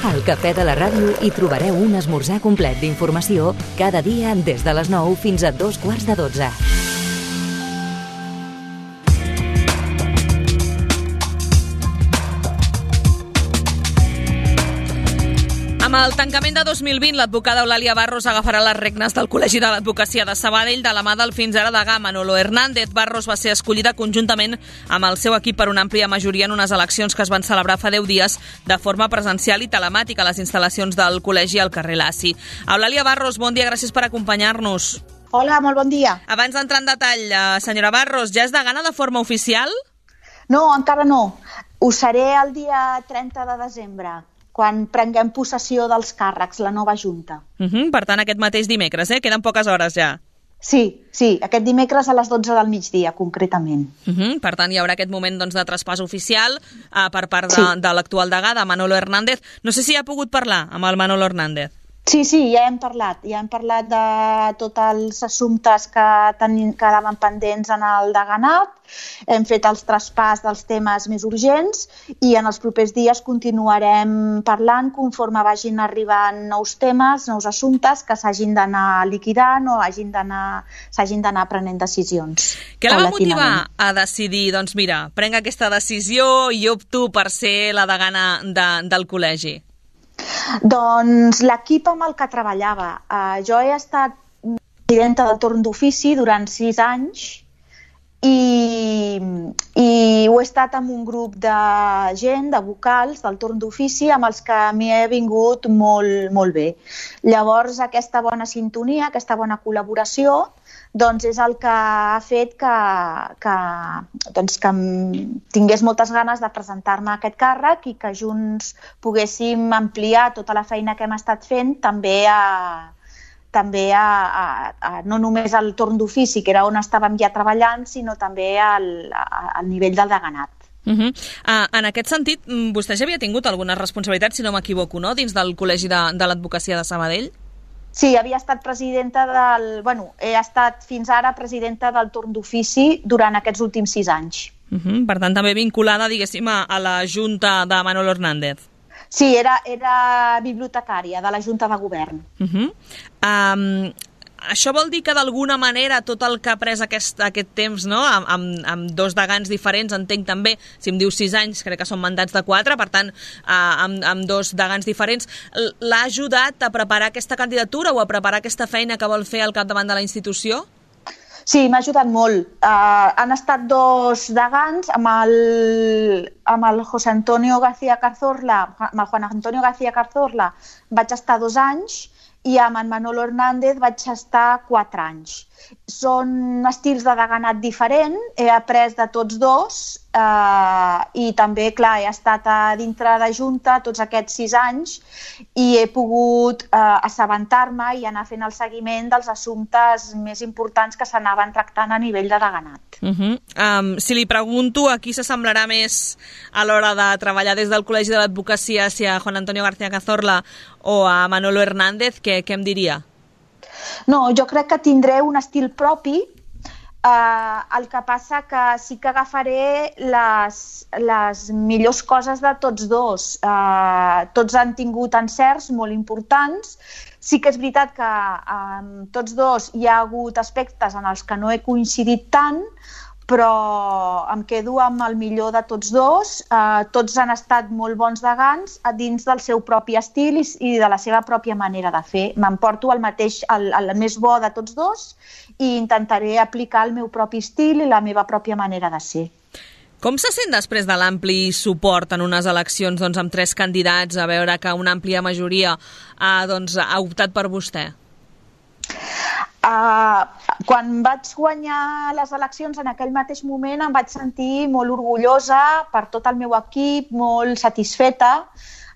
Al Cafè de la Ràdio hi trobareu un esmorzar complet d'informació cada dia des de les 9 fins a 11:45. Amb el tancament de 2020, l'advocada Eulàlia Barros agafarà les regnes del Col·legi de l'Advocacia de Sabadell de la mà del fins ara degà Manolo Hernández. Barros va ser escollida conjuntament amb el seu equip per una àmplia majoria en unes eleccions que es van celebrar fa 10 dies de forma presencial i telemàtica a les instal·lacions del col·legi al carrer Laci. Eulàlia Barros, bon dia, gràcies per acompanyar-nos. Hola, molt bon dia. Abans d'entrar en detall, senyora Barros, ja és degana de forma oficial? No, encara no. Ho seré el dia 30 de desembre, quan prenguem possessió dels càrrecs, la nova Junta. Per tant, aquest mateix dimecres, Queden poques hores ja. Sí, aquest dimecres a les 12 del migdia, concretament. Per tant, hi haurà aquest moment de traspàs oficial per part de l'actual degà, de Manolo Hernández. No sé si ha pogut parlar amb el Manolo Hernández. Sí, ja hem parlat de tots els assumptes que quedaven pendents en el deganat, hem fet els traspàs dels temes més urgents i en els propers dies continuarem parlant conforme vagin arribant nous temes, nous assumptes que s'hagin d'anar liquidant o s'hagin d'anar prenent decisions. Què la va motivar a decidir, doncs mira, prenc aquesta decisió i opto per ser la degana del col·legi? Doncs l'equip amb el que treballava. Jo he estat presidenta del torn d'ofici durant 6 anys i ho he estat amb un grup de gent, de vocals del torn d'ofici amb els que m'hi he vingut molt bé. Llavors aquesta bona sintonia, aquesta bona col·laboració doncs és el que ha fet que tingués moltes ganes de presentar-me a aquest càrrec i que junts poguéssim ampliar tota la feina que hem estat fent també no només al torn d'ofici, que era on estàvem ja treballant, sinó també al nivell del deganat. En aquest sentit, vostè ja havia tingut algunes responsabilitats, si no m'equivoco, no?, dins del Col·legi de l'Advocacia de Sabadell? Sí, havia estat he estat fins ara presidenta del torn d'ofici durant aquests últims 6 anys. Per tant, també vinculada, diguéssim, a la Junta de Manolo Hernández. Sí, era bibliotecària de la Junta de Govern. Això vol dir que d'alguna manera tot el que ha pres aquest temps, no?, amb 2 degans diferents, entenc també, si em diu 6 anys, crec que són mandats de 4, per tant, amb 2 degans diferents, l'ha ajudat a preparar aquesta candidatura o a preparar aquesta feina que vol fer al capdavant de la institució? Sí, m'ha ajudat molt. Han estat 2 degans, amb el José Antonio García Cazorla, amb el Juan Antonio García Cazorla vaig estar 2 anys, i amb en Manolo Hernández vaig estar 4 anys. Són estils de deganat diferent, he après de tots 2 i també, clar, he estat a dintre de Junta tots aquests 6 anys i he pogut assabentar-me i anar fent el seguiment dels assumptes més importants que s'anaven tractant a nivell de deganat. Si li pregunto a qui s'assemblarà més a l'hora de treballar des del Col·legi de l'Advocacia, si a Juan Antonio García Cazorla o a Manolo Hernández, què em diria? No, jo crec que tindré un estil propi, el que passa que sí que agafaré les millors coses de tots 2. Tots han tingut encerts molt importants. Sí que és veritat que amb tots 2 hi ha hagut aspectes en els que no he coincidit tant, però em quedo amb el millor de tots 2. Tots han estat molt bons degans dins del seu propi estil i de la seva pròpia manera de fer. M'emporto el més bo de tots 2 i intentaré aplicar el meu propi estil i la meva pròpia manera de ser. Com se sent després de l'ampli suport en unes eleccions amb 3 candidats, a veure que una àmplia majoria ha optat per vostè? Quan vaig guanyar les eleccions, en aquell mateix moment em vaig sentir molt orgullosa per tot el meu equip, molt satisfeta.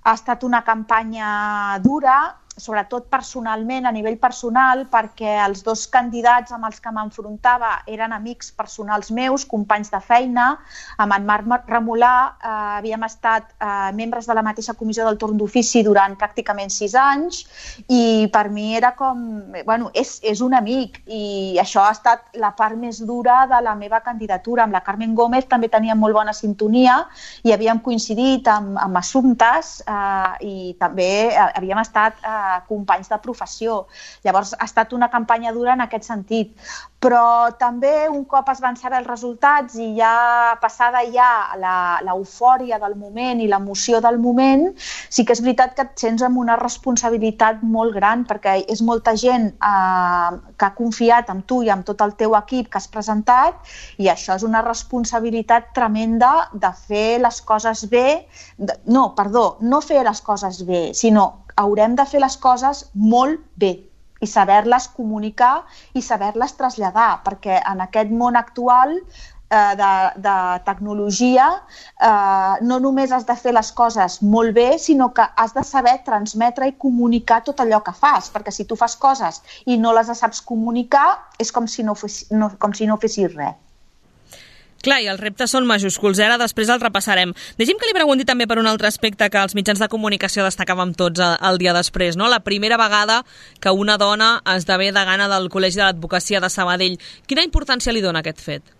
Ha estat una campanya dura, sobretot personalment, a nivell personal, perquè els dos candidats amb els que m'enfrontava eren amics personals meus, companys de feina. Amb en Marc Remolà havíem estat membres de la mateixa comissió del torn d'ofici durant pràcticament 6 anys i per mi era com... Bueno, és un amic i això ha estat la part més dura de la meva candidatura. Amb la Carmen Gómez també teníem molt bona sintonia i havíem coincidit amb assumptes i també havíem estat companys de professió. Llavors ha estat una campanya dura en aquest sentit. Però també un cop es van saber els resultats i ja passada l'eufòria del moment i l'emoció del moment, sí que és veritat que et sents amb una responsabilitat molt gran perquè és molta gent que ha confiat en tu i amb tot el teu equip que has presentat i això és una responsabilitat tremenda de fer les coses bé. No fer les coses bé, sinó haurem de fer les coses molt bé i saber-les comunicar i saber-les traslladar, perquè en aquest món actual de tecnologia no només has de fer les coses molt bé, sinó que has de saber transmetre i comunicar tot allò que fas, perquè si tu fas coses i no les saps comunicar és com si no fessis res. Clar, i els reptes són majúsculs, ara després els repassarem. Deixi'm que li pregunti també per un altre aspecte que els mitjans de comunicació destacàvem tots el dia després, no? La primera vegada que una dona esdevé degana del Col·legi de l'Advocacia de Sabadell. Quina importància li dona aquest fet?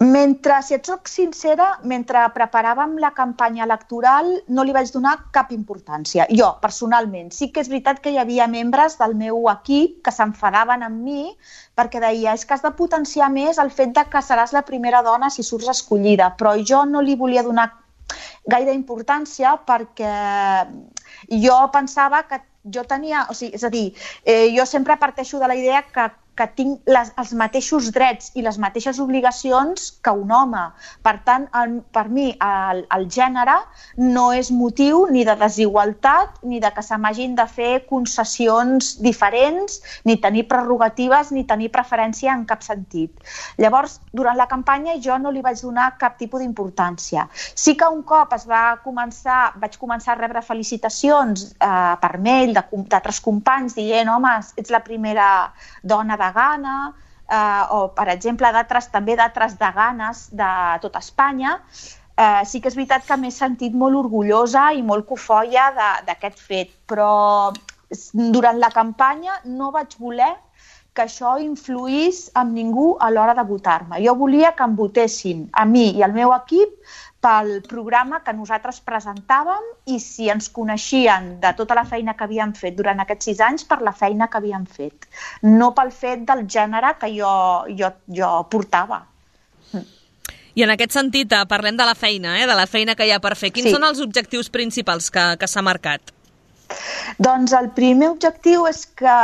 Si et soc sincera, mentre preparàvem la campanya electoral no li vaig donar cap importància. Jo, personalment, sí que és veritat que hi havia membres del meu equip que s'enfadaven amb mi perquè deia és que has de potenciar més el fet de que seràs la primera dona si surts escollida, però jo no li volia donar gaire importància perquè jo pensava que jo tenia... És a dir, jo sempre parteixo de la idea que tinc els mateixos drets i les mateixes obligacions que un home. Per tant, per mi, el gènere no és motiu ni de desigualtat ni de que se m'hagin de fer concessions diferents, ni tenir prerrogatives, ni tenir preferència en cap sentit. Llavors, durant la campanya jo no li vaig donar cap tipus d'importància. Sí que un cop vaig començar a rebre felicitacions per mail d'altres companys dient home, ets la primera dona degana, o per exemple també d'altres deganes de tot Espanya, sí que és veritat que m'he sentit molt orgullosa i molt cofoia d'aquest fet, però durant la campanya no vaig voler que això influís amb ningú a l'hora de votar-me. Jo volia que em votessin a mi i al meu equip pel programa que nosaltres presentàvem i si ens coneixien de tota la feina que havíem fet durant aquests 6 anys per la feina que havíem fet, no pel fet del gènere que jo portava. I en aquest sentit, parlem de la feina, de la feina que hi ha per fer. Quins són els objectius principals que s'ha marcat? Doncs el primer objectiu és que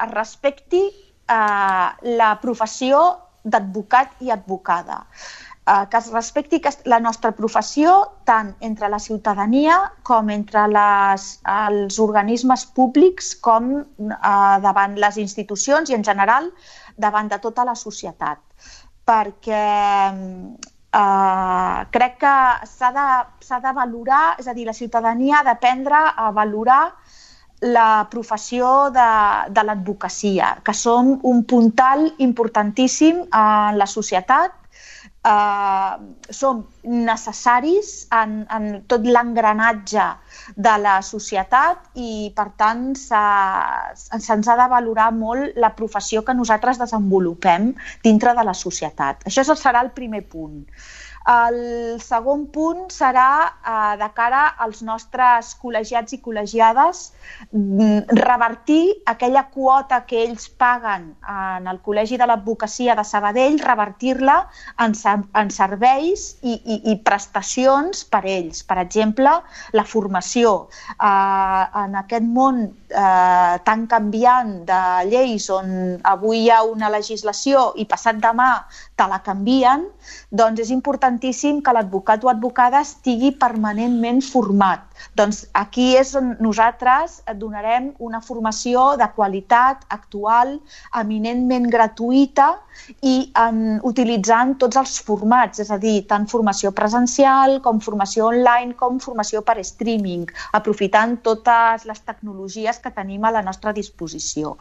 es respecti la professió d'advocat i advocada. Que es respecti la nostra professió tant entre la ciutadania com entre els organismes públics com davant les institucions i en general davant de tota la societat. Perquè crec que s'ha de valorar, és a dir, la ciutadania ha d'aprendre a valorar la professió de l'advocacia, que som un puntal importantíssim en la societat. Som necessaris en tot l'engranatge de la societat i, per tant, se'ns ha de valorar molt la professió que nosaltres desenvolupem dintre de la societat. Això serà el primer punt. El segon punt serà, de cara als nostres col·legiats i col·legiades, revertir aquella quota que ells paguen en el Col·legi de l'Advocacia de Sabadell, revertir-la en serveis i prestacions per ells. Per exemple, la formació. En aquest món tan canviant de lleis on avui hi ha una legislació i passat demà te la canvien, doncs és importantíssim importantíssim que l'advocat o advocada estigui permanentment format. Doncs aquí és on nosaltres donarem una formació de qualitat, actual, eminentment gratuïta i utilitzant tots els formats, és a dir, tant formació presencial com formació online com formació per streaming, aprofitant totes les tecnologies que tenim a la nostra disposició.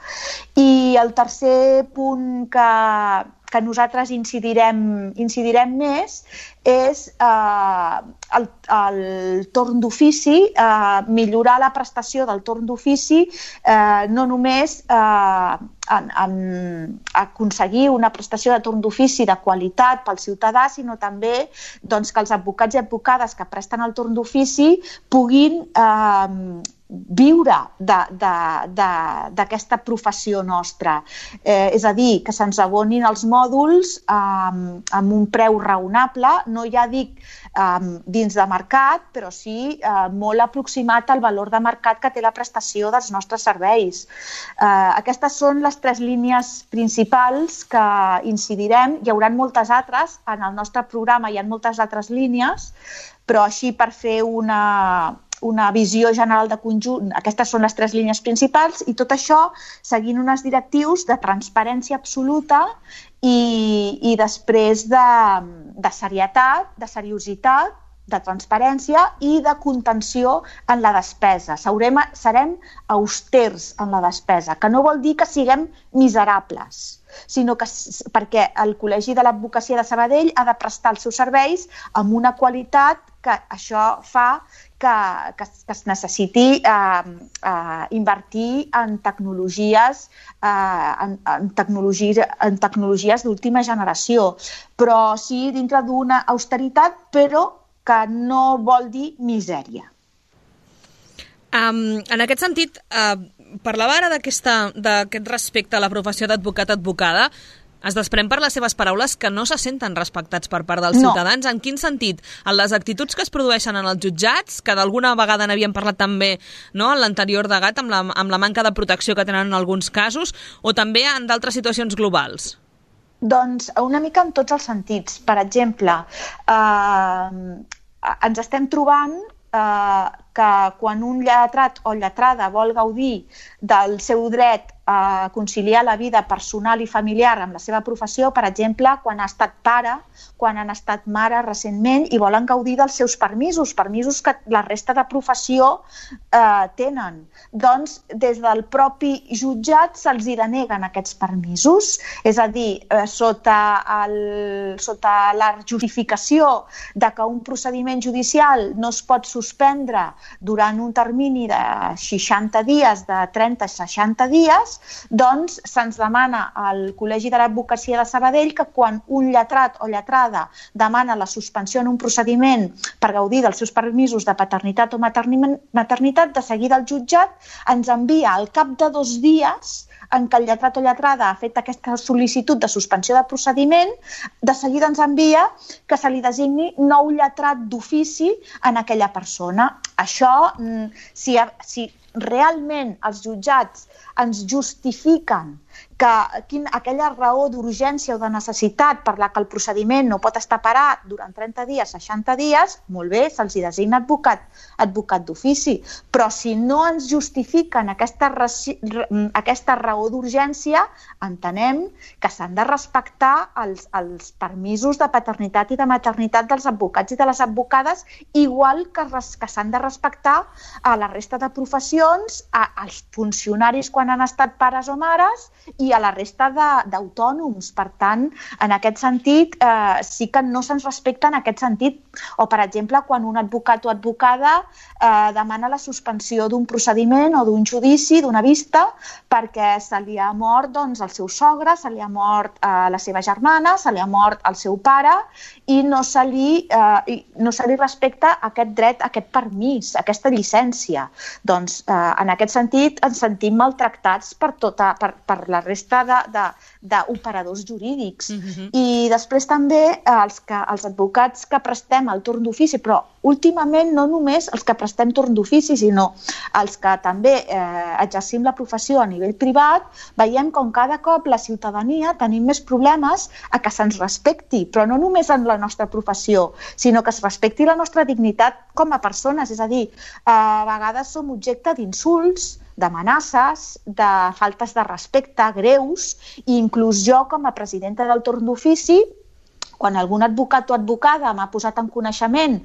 I el tercer punt que nosaltres incidirem més és el torn d'ofici, millorar la prestació del torn d'ofici, no només aconseguir una prestació de torn d'ofici de qualitat pel ciutadà, sinó també que els advocats i advocades que presten el torn d'ofici puguin viure d'aquesta professió nostra. És a dir, que se'ns abonin els mòduls amb un preu raonable, no ja dic dins de mercat, però sí molt aproximat al valor de mercat que té la prestació dels nostres serveis. Aquestes són les 3 línies principals que incidirem. Hi haurà moltes altres, en el nostre programa hi ha moltes altres línies, però així per fer una visió general de conjunt, aquestes són les 3 línies principals i tot això seguint unes directrius de transparència absoluta i després de serietat, de seriositat, de transparència i de contenció en la despesa. Serem austers en la despesa, que no vol dir que siguem miserables, sinó que perquè el Col·legi de l'Advocacia de Sabadell ha de prestar els seus serveis amb una qualitat que això fa que es necessiti invertir en tecnologies d'última generació, però sí dintre d'una austeritat, però que no vol dir misèria. En aquest sentit, parlava ara d'aquest respecte a la professió d'advocat-advocada. Es desprèn per les seves paraules que no se senten respectats per part dels ciutadans. En quin sentit? En les actituds que es produeixen en els jutjats, que d'alguna vegada n'havíem parlat també en l'anterior debat, amb la manca de protecció que tenen en alguns casos, o també en d'altres situacions globals? Doncs una mica en tots els sentits. Per exemple, ens estem trobant que quan un lletrat o lletrada vol gaudir del seu dret a conciliar la vida personal i familiar amb la seva professió, per exemple, quan ha estat pare, quan han estat mare recentment i volen gaudir dels seus permisos que la resta de professió tenen. Doncs des del propi jutjat se'ls deneguen aquests permisos, és a dir, sota la justificació de que un procediment judicial no es pot suspendre durant un termini de 60 dies, de 30 a 60 dies, doncs se'ns demana al Col·legi de l'Advocacia de Sabadell que quan un lletrat o lletrada demana la suspensió en un procediment per gaudir dels seus permisos de paternitat o maternitat, de seguida el jutjat ens envia al cap de 2 dies en què el lletrat o lletrada ha fet aquesta sol·licitud de suspensió de procediment, de seguida ens envia que se li designi nou lletrat d'ofici en aquella persona. Això, si realment els jutjats ens justifiquen que aquella raó d'urgència o de necessitat per la que el procediment no pot estar parat durant 30 dies, 60 dies, molt bé, se'ls designa advocat d'ofici. Però si no ens justifiquen aquesta raó d'urgència, entenem que s'han de respectar els permisos de paternitat i de maternitat dels advocats i de les advocades, igual que s'han de respectar a la resta de professions, als funcionaris quan han estat pares o mares i a la resta d'autònoms. Per tant, en aquest sentit, sí que no se'ns respecta en aquest sentit. O, per exemple, quan un advocat o advocada demana la suspensió d'un procediment o d'un judici, d'una vista, perquè se li ha mort el seu sogre, se li ha mort la seva germana, se li ha mort el seu pare i no se li respecta aquest dret, aquest permís, aquesta llicència. Doncs, en aquest sentit, ens sentim maltractats per la la resta d'operadors jurídics. I després també els advocats que prestem el torn d'ofici, però últimament no només els que prestem torn d'ofici, sinó els que també exercim la professió a nivell privat, veiem com cada cop la ciutadania tenim més problemes a que se'ns respecti, però no només en la nostra professió, sinó que es respecti la nostra dignitat com a persones. És a dir, a vegades som objecte d'insults, d'amenaces, de faltes de respecte greus, i inclús jo, com a presidenta del torn d'ofici, quan algun advocat o advocada m'ha posat en coneixement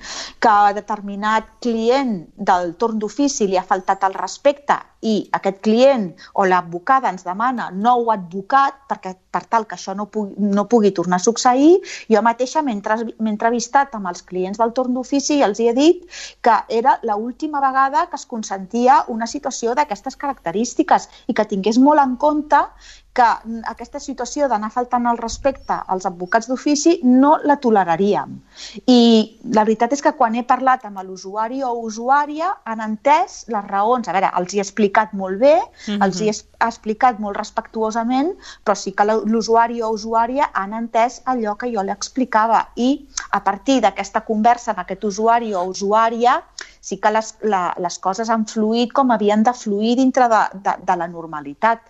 que a determinat client del torn d'ofici li ha faltat el respecte i aquest client o l'advocada ens demana nou advocat per tal que això no pugui tornar a succeir, jo mateixa m'he entrevistat amb els clients del torn d'ofici i els he dit que era l'última vegada que es consentia una situació d'aquestes característiques i que tingués molt en compte que aquesta situació d'anar faltant el respecte als advocats d'ofici no la toleraríem. I la veritat és que quan he parlat amb l'usuari o usuària han entès les raons. A veure, els hi he explicat molt bé, els hi he explicat molt respectuosament, però sí que l'usuari o usuària han entès allò que jo li explicava. I a partir d'aquesta conversa amb aquest usuari o usuària sí que les coses han fluït com havien de fluir dintre de la normalitat.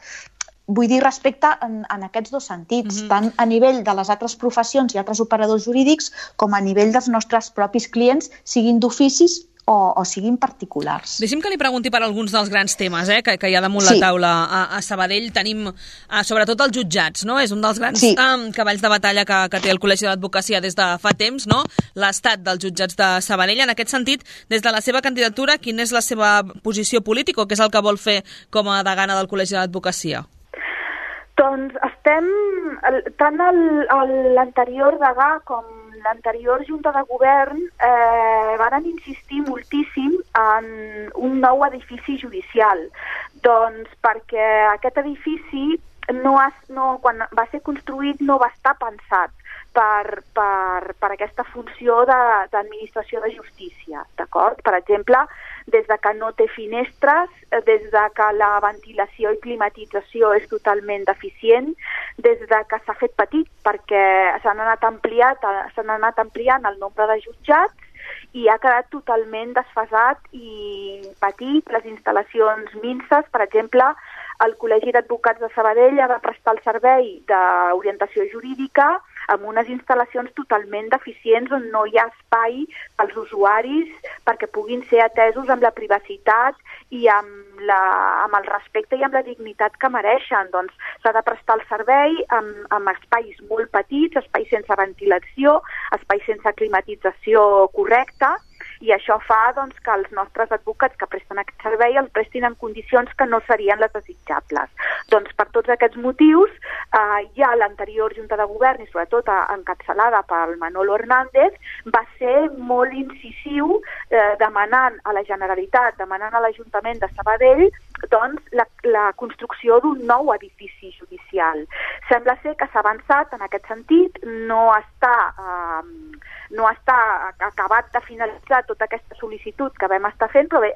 Vull dir, respecte en aquests dos sentits, tant a nivell de les altres professions i altres operadors jurídics com a nivell dels nostres propis clients, siguin d'oficis o siguin particulars. Deixi'm que li pregunti per alguns dels grans temes que hi ha damunt la taula a Sabadell. Tenim sobretot els jutjats, no? És un dels grans cavalls de batalla que té el Col·legi de l'Advocacia des de fa temps, no? L'estat dels jutjats de Sabadell. En aquest sentit, des de la seva candidatura, quina és la seva posició política o què és el que vol fer com a degana del Col·legi de l'Advocacia? Doncs estem, tant l'anterior degà com l'anterior Junta de Govern van insistir moltíssim en un nou edifici judicial. Doncs perquè aquest edifici, quan va ser construït, no va estar pensat per aquesta funció d'administració de justícia, d'acord? Per exemple, des de que no té finestres, des de que la ventilació i climatització és totalment deficient, des de que s'ha fet petit perquè s'han anat ampliant el nombre de jutjats i ha quedat totalment desfasat i petit, les instal·lacions minses. Per exemple, el Col·legi d'Advocats de Sabadell ha de prestar el servei d'orientació jurídica amb unes instal·lacions totalment deficients on no hi ha espai pels usuaris perquè puguin ser atesos amb la privacitat i amb el respecte i amb la dignitat que mereixen. Doncs s'ha de prestar el servei amb espais molt petits, espais sense ventilació, espais sense climatització correcta, i això fa que els nostres advocats que presten aquest servei el prestin en condicions que no serien les desitjables. Doncs per tots aquests motius, ja l'anterior Junta de Govern, i sobretot encapçalada pel Manolo Hernández, va ser molt incisiu demanant a la Generalitat, demanant a l'Ajuntament de Sabadell la construcció d'un nou edifici judicial. Sembla ser que s'ha avançat en aquest sentit, no està acabat de finalitzar tota aquesta sol·licitud que vam estar fent, però bé,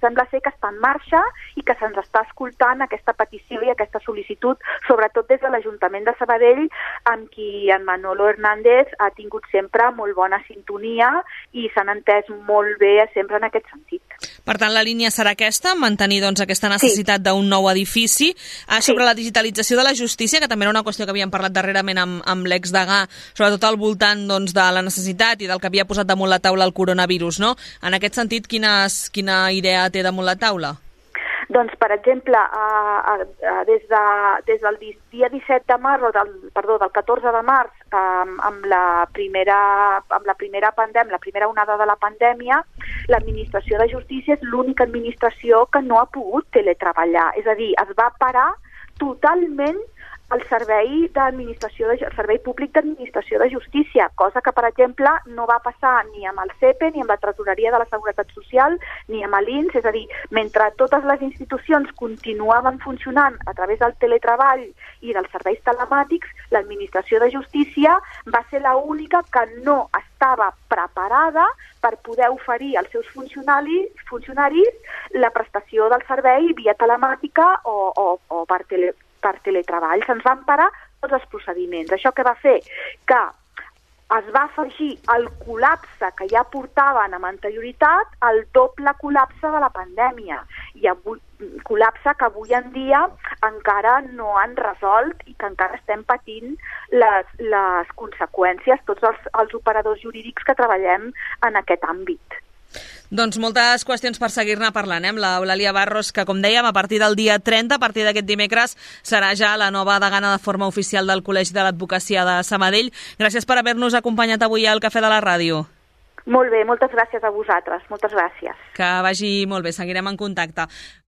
sembla ser que està en marxa i que se'ns està escoltant aquesta petició i aquesta sol·licitud, sobretot des de l'Ajuntament de Sabadell, amb qui en Manolo Hernández ha tingut sempre molt bona sintonia i s'han entès molt bé sempre en aquest sentit. Per tant, la línia serà aquesta, mantenir aquesta necessitat d'un nou edifici. Sobre la digitalització de la justícia, que també era una qüestió que havíem parlat darrerament amb l'exdegà, sobretot al voltant de la necessitat i del que havia posat damunt la taula el coronavirus, no? En aquest sentit, quina idea té damunt la taula? Doncs, per exemple, des del dia 17 de març, del 14 de març, amb la primera onada de la pandèmia, l'administració de justícia és l'única administració que no ha pogut teletreballar. És a dir, es va parar totalment el servei públic d'administració de justícia, cosa que, per exemple, no va passar ni amb el CEPE, ni amb la Tresoreria de la Seguretat Social, ni amb l'INS. És a dir, mentre totes les institucions continuaven funcionant a través del teletreball i dels serveis telemàtics, l'administració de justícia va ser l'única que no estava preparada per poder oferir als seus funcionaris la prestació del servei via telemàtica o per per teletreball, se'ns van parar tots els procediments. Això què va fer? Que es va afegir el col·lapse que ja portaven amb anterioritat al doble col·lapse de la pandèmia. I avui, col·lapse que avui en dia encara no han resolt i que encara estem patint les conseqüències, tots els operadors jurídics que treballem en aquest àmbit. Doncs moltes qüestions per seguir-ne parlant, amb l'Eulàlia Barros, que com dèiem, a partir del dia 30, a partir d'aquest dimecres, serà ja la nova degana de forma oficial del Col·legi de l'Advocacia de Sabadell. Gràcies per haver-nos acompanyat avui al Cafè de la Ràdio. Molt bé, moltes gràcies a vosaltres, moltes gràcies. Que vagi molt bé, seguirem en contacte.